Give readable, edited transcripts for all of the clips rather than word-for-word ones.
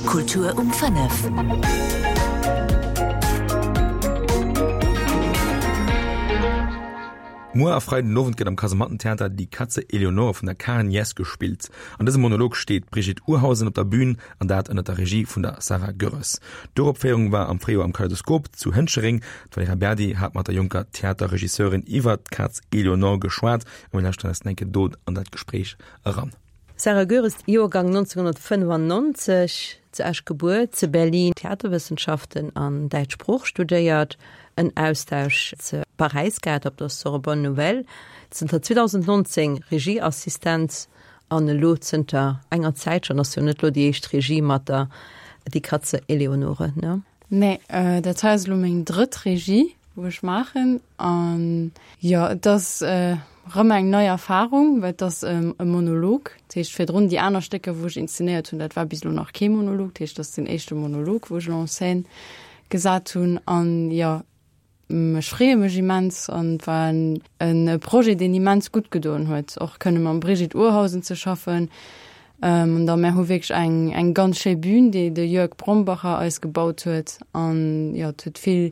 Kultur um 5. Muer a Freiden den Owend gëtt am Kasemattentheater Die Katze Eleonore vun der Karen Jess gespillt. An dësem Monolog steet d'Brigitte Urhausen op der Bühn an dat ënner der Regie vun der Sarah Goerres. D'Uropféierung war am Fréijoer am Kaleidoskop zu Hënchereng. D'Valerija Berdi hat mat der jonker Theaterregisseurin iwwer d'Kaz Eleonore geschwat a mir lauschteren eis eng Kéier do an dat Gespréich eran. Sarah Goeres, Joergang 1995, zu Esch gebuer, zu Berlin Theaterwëssenschaften an däitsch Sprooch studéiert, en Austausch zu Paräis gehat op der Sorbonne Nouvelle, zënter 2019 Regieassistenz an elo zënter enger Zäit schonn, ass jo net elo déi éischt Regie mat der Die Katze Eleonore, ne? Nee, dat hei ass elo meng drëtt Regie, wou ech maachen. An jo, et ass erëm eng nei Erfarung, well et ass e Monolog. Dat heescht, virdrun déi aner Stécker, wou ech inszenéiert hunn, dat war bis elo nach kee Monolog. Dat heescht, dat ass den éischte Monolog, wou ech elo en scène gesat hunn. An jo, Ech freeë mech immens an et war en Projet, deen immens gutt gedoen huet, och kënne mam Brigitte Urhausen ze schaffen. An da mär hu wierklech eng eng ganz schéi Bühn, déi de Jörg Brombacher eis gebaut huet. An jo, et huet vill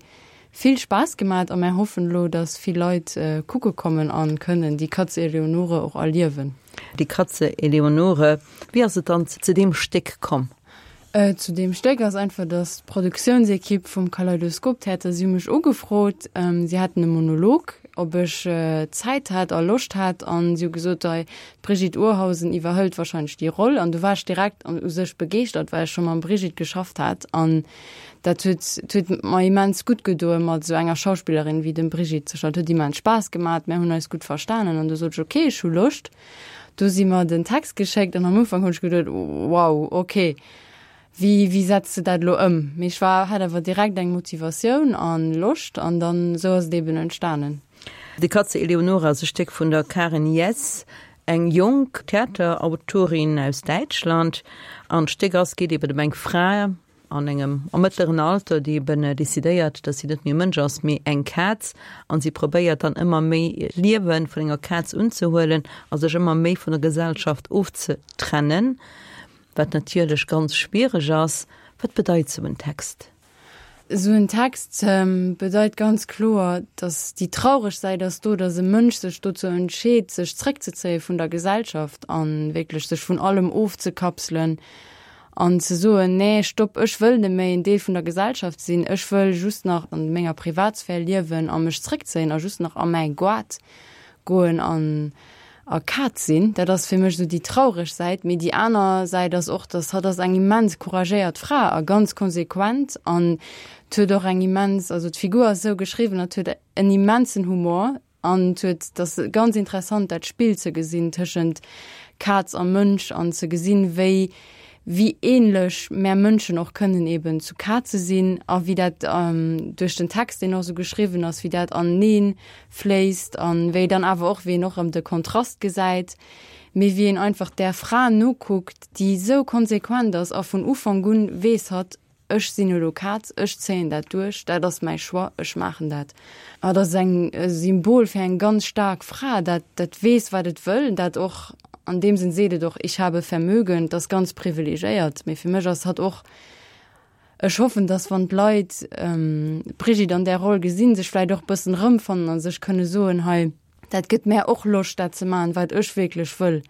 vill Spaass gemat a mär hoffen elo, datt vill Leit kucke kommen a kënnen déi Katz Eleonore och erliewen. Die Katze Eleonore, wéi ass et dann zu deem Stéck komm? Zu deem Stéck ass einfach, dass d'Produktiounsekipp vum Kaleidoskop-Theater, si hu mech ugefrot, si hätten e Monolog, ob ech Zäit hätt a Loscht hätt. An si hu gesot, hei, d'Brigitte Urhausen iwwerhëlt warscheinlech déi Roll. An du war ech direkt u sech begeeschtert, well ech scho mam Brigitte geschafft hat. An dat huet, huet mer immens gutt gedoen, mat esou enger Schauspillerin wéi dem Brigitte ze schaffen. Et huet immens Spaass gemat, mär hunn eis gutt verstanen. An du sot ech, okay, ech hu Loscht. Do si mer den Text geschéckt an am Ufank hunn ech geduet, wow, okay, wéi, wéi setz de dat elo ëm? Mee ech war, hat awer direkt eng Motivatioun an Loscht an dann esou ass et eben entstanen. Die Katze Eleonore ass e Stéck vun der Karen Jess, eng jonk Theaterautorin aus Däitschland. An d'Stéck ass, geet eben ëm eng Fra, an engem am mëttleren Alter, déi eben decidéiert, dass si net méi e Mënsch ass, mee eng Kaz, an si probéiert dann ëmmer méi d'Liewe vun enger Kaz unzehuelen a sech ëmmer méi vun der Gesellschaft ofzetrennen, wat natierlech ganz schwiereg ass. Wat bedeit sou en Text? Esou en Text bedeit ganz kloer, dass déi traureg Säit ass do, dass e Mënsch sech dozou entscheet, sech zréckzezéie vun der Gesellschaft a wierklech sech vun allem ofzekapselen An ze soen, nee, stopp, ech wëll net méi en Deel vun der Gesellschaft sinn, ech wëll just nach an menger Privatsphär liewen a mech zréckzéien a just nach a mäi Goart goen an a Kaz sinn, dat ass fir mech esou déi traureg Säit. Mee déi aner Säit ass och, dass hatt ass eng immens couragéiert Fra a ganz konsequent an huet och eng immens, also d'Figur ass esou geschriwwen, hatt huet en immensen Humor, An et huet, et ass ganz interessant dat Spill ze gesinn tëschent Kaz a Mënsch an ze gesinn, wéi, wéi ähnlech mär Mënschen och kënnen eben zu Kaze sinn a wéi dat duerch den Text, deen och esou geschriwwen ass, wéi dat anenee fléisst an wéi dann awer och, wéi een och erëm de Kontrast gesäit, mee wéi een einfach där Fra nokuckt, déi esou konsequent ass a vun Ufank un weess hatt, Ech sinn elo Kaz, ech zéien dat duerch, dat ass mäi Choix, ech maachen dat. Dat ass eng e Symbol fir eng ganz staark Fra, dat dat weess, wat et wëll, dat och an deem Sënn seet et och, ich habe Vermögen, dat ass ganz privilegiéiert. Mee fir mech ass hatt och, ech hoffen, datt wann d'Leit d'Brigitte an där Roll gesinn, sech vläicht och e bëssen erëmfannen a sech kënne soen, hei, Dat gëtt mär och Loscht dat ze maachen, wat ech wierklech wëll.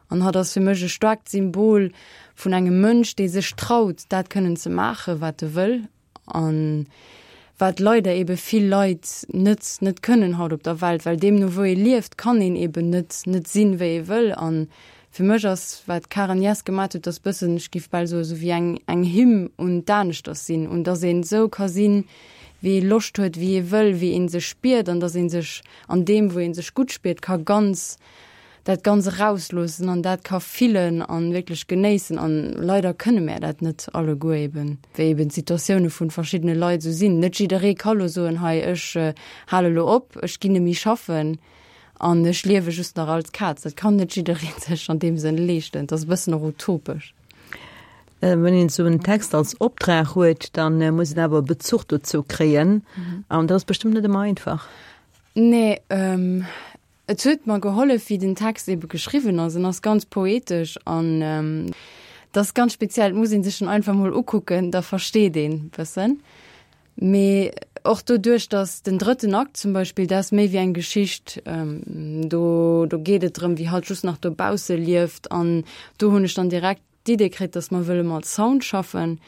An hatt ass fir mech e staarkt Symbol vun engem Mënsch, dee sech traut, dat kënnen ze maachen, wat e wëll. An wat leider ebe vill Leit net net kënnen haut op der Welt, well deemno wou ee lieft, kann een eben net net sinn, wéi ee wëll. An fir mech ass, wat d'Karen Jess gemat huet, ass bëssen, ech giff bal soen, esou wéi eng eng Hymn un d'Aneschters sinn, un dass een esou ka sinn, wéi ee Loscht huet, wéi ee wëll, wéi ee sech spiert an dass ee sech an deem, wou ee sech gutt spiert, ka ganz dat ganz erausloossen an dat ka fillen an wierklech genéissen. An leider kënne mär dat net alleguer, eben wéi eben d'Situatioune vun verschiddene Leit esou sinn. Net jidderee ka lo soen, hei ech hale lo op, ech ginn net méi schaffen an ech liewe just nach als Kaz. Dat kann net jidderee sech an deem Sënn leeschten. Dat ass e bëssen och utopesch. Wann een esou en Text als Optrag huet, dann muss een awer e Bezuch dozou kréien. An dat ass bestëmmt net ëmmer einfach. Nee, et huet mer gehollef, wéi den Text ebe geschriwwen ass. En ass ganz poetesch an. Dat ass ganz speziell, et muss ee sech en einfach mol ukucken, da versteet een bëssen. Mee och doduerch, datt den drëtten Akt zum Beispill, dat ass méi wéi eng Geschicht, do do geet et drëm, wéi hatt just nach dobausse lieft an do hunn ech dann direkt d'Idee kritt, datt mer wëlle mat Sound schaffen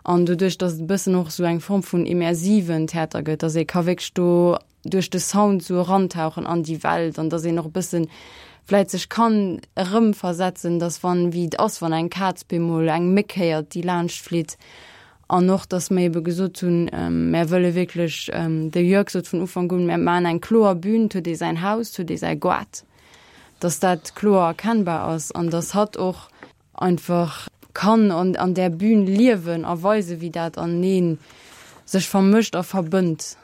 an doduerch, datt et e bëssen och esou eng Form vun immersiven Theater gëtt, datt ee ka wierklech do duerch de Sound esou erantauchen an déi Welt an datt een och e bëssen vläit sech kann erëmversetzen, datt wann, wéi et ass, wann eng Kaz bemol eng Méck héiert, déi laanscht flitt an och, datt mer ebe gesot hunn, mär wëlle wierklech, de Jörg sot vun Ufank un, mär maachen eng kloer Bühn, 't huet ee säin Haus, 't huet ee säi Goart, datt dat kloer erkennbar ass an datt hatt och einfach kann an an där Bühn liewen a weisen, wéi dat anenee sech vermëscht a verbënnt.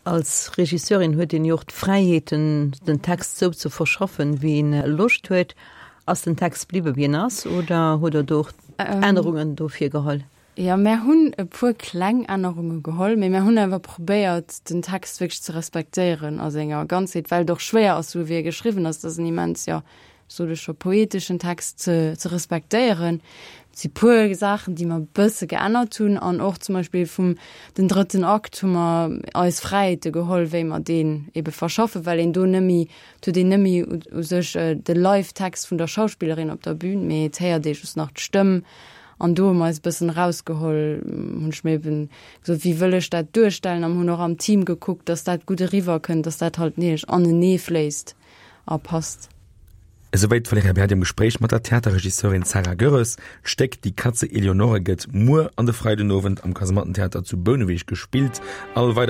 Als Regisseurin huet een jo och d'Fräiheeten, den Text sou ze verschaffen, wéi een Loscht huet. Ass den Text bliwwe wéi en ass oder hutt Der do och Ännerungen do virgeholl? Jo, mär hunn e puer kleng Ännerunge geholl, mee mär hunn awer probéiert, den Text wierklech ze respektéieren a senger Ganzheet, well et och schwéier ass, sou wéi e geschriwwen ass. Et ass en immens, jo, sot ech scho, poeteschen Text ze ze respektéieren. Et si puer Saachen, déi mer e bësse geännert hunn an och zum Beispill vum den drëtten Akt hu mer eis Fräiheete geholl, wéi mer deen ebe verschaffen, well een do nëmme, et huet een nëmme u sech de Live-Text vun der Schauspillerin op der Bühn, mee et héiert ee just nach d'Stëmm an do hu mer eis e bëssen erausgeholl, hunn ech mir eben gesot, wéi wëll ech dat duerstellen an hunn och am Team gekuckt, dass dat gutt eriwwerkënnt, dass dat halt neelech anenee fléisst. a passt. Esouwäit d'Valerija Berdi am Gespréich mat der Theaterregisseurin Sarah Goerres. D'Stéck Die Katze Eleonore gëtt muer an de Freidenowend am Kasemattentheater zu Bouneweg gespillt. All weider.